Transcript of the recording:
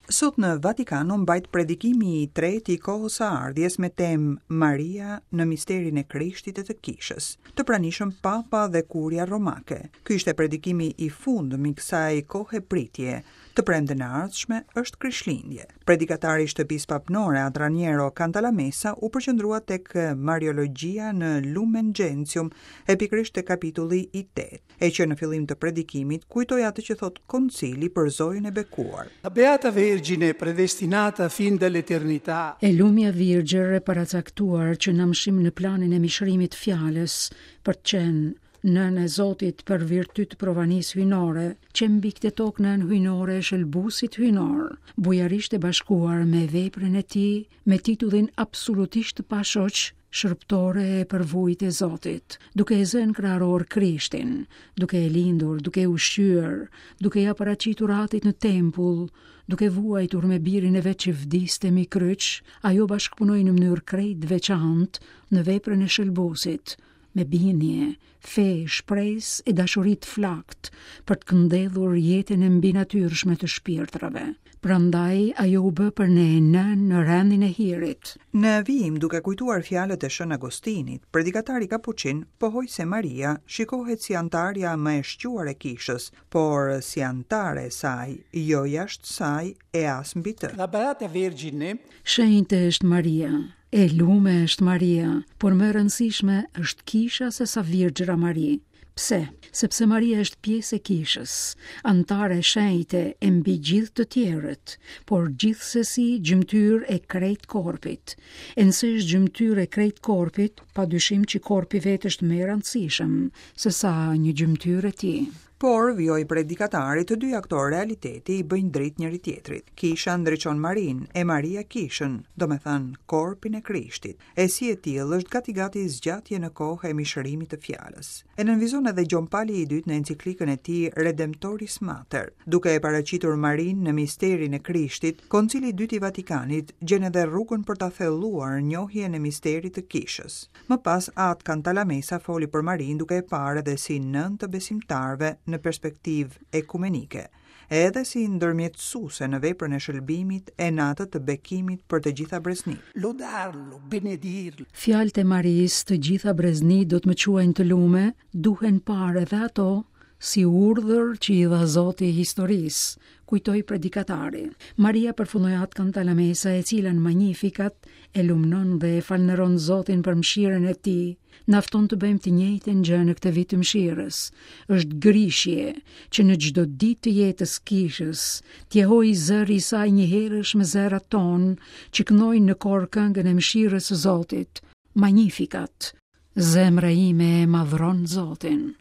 Sot në Vatikan u mbajt predikimi i tretë i kohës së ardhjes me temë Maria në misterin e Krishtit e të Kishës. Të pranishëm Papa dhe Kuria Romake. Ky ishte predikimi i fundëm i kësaj kohe pritje. Të premten e ardhshme është Krishtlindje. Predikatari i shtëpisë papnore At Raniero Cantalamessa u përqendrua tek Mariologjia në Lumen Gentium e pikërisht te kapitulli i tetë. E që në fillim të predikimit kujtoi atë që thotë Koncili për Zojën e Bekuar. La Beata Vergine predestinata fin dall'eternità. E lumja Virgjër e paracaktuar që në amshim në planin e mishërimit fjalës për të qenë nënë e Zotit për virtyt të provanisë hyjnore, qe mbi këtë tokë nënë hyjnore e shëlbuesit hyjnor, bujarisht e bashkuar me veprën e tij, me titullin absolutisht të pashoq, shërbëtore e përvujtë e Zotit, duke e zënë kraharor Krishtin, duke e lindur, duke e ushqyer, duke ia paraqitur atit në tempull, duke vuajtur me birin e vet që vdiste mbi kryq, ajo bashkëpunoi në mënyrë krejt të veçantë në veprën e shëlbuesit, me bindje, fe, shpresë e dashuri të flaktë për të këndellur jetën e mbinatyrshme të shpirtrave. Prandaj ajo u bë për ne nënë në rendin e hirit. Në vijim, duke kujtuar fjalët e Shën Agostinit, predikatari kapuçin pohoi se Maria shikohet si anëtarja më e shquar e Kishës, por si anëtare e saj, jo jashtë saj e as mbi të. La Beata Vergine Shenjte është Maria, E lume është Maria, por më e rëndësishme është kisha se sa Virgjëra Mari. Pse? Sepse Maria është pjesë e kishës, anëtare e shenjte e mbi gjithë të tjerët, por gjithsesi gjymtyrë e krejt korpit. E nëse është gjymtyrë e krejt korpit, pa dyshim që korpi vetë është më i rëndësishëm se sa një gjymtyrë e tij. Por, vijoi predikatari, të dyja këto realitete i bëjnë dritë njëri-tjetrit. Kisha ndriçon Marinë, e Maria kishën, domethënë korpin e Krishtit, e si e tillë është gati-gati zgjatje në kohë e mishërimit të Fjalës. E nënvizon edhe Gjon Pali i Dytë në enciklikën e tij Redemptoris Mater. Duke e paraqitur Marinë në misterin e Krishtit, Koncili i Dytë i Vatikanit gjen edhe rrugën për ta thelluar njohjen e misterit të Kishës. Më pas At Cantalamessa foli për Marinë duke e parë edhe si nënë të besimtarëve në perspektivë ekumenike, e edhe si ndërmjetësuese në veprën e shëlbimit e në atë të bekimit për të gjitha breznitë. Lodarlo, benedirlo. Fjalët e Marisë të gjitha breznitë do të më quajnë të lume, duhen parë edhe ato si urdhër që i dha Zoti historisë, kujtoi predikatari. Maria përfundoi At Cantalamessa e cila në Magnificat e lumnon dhe e falënderon Zotin për mëshirën e tij, na fton të bëjmë të njëjtën gjë në këtë vit të mëshirës. Është grishje që në çdo ditë të jetës kishës, të jehojë zëri i saj njëherësh me zërat tonë që këndojnë në kor këngën e mëshirës së Zotit. Magnificat. Zemra ime e madhron Zotin.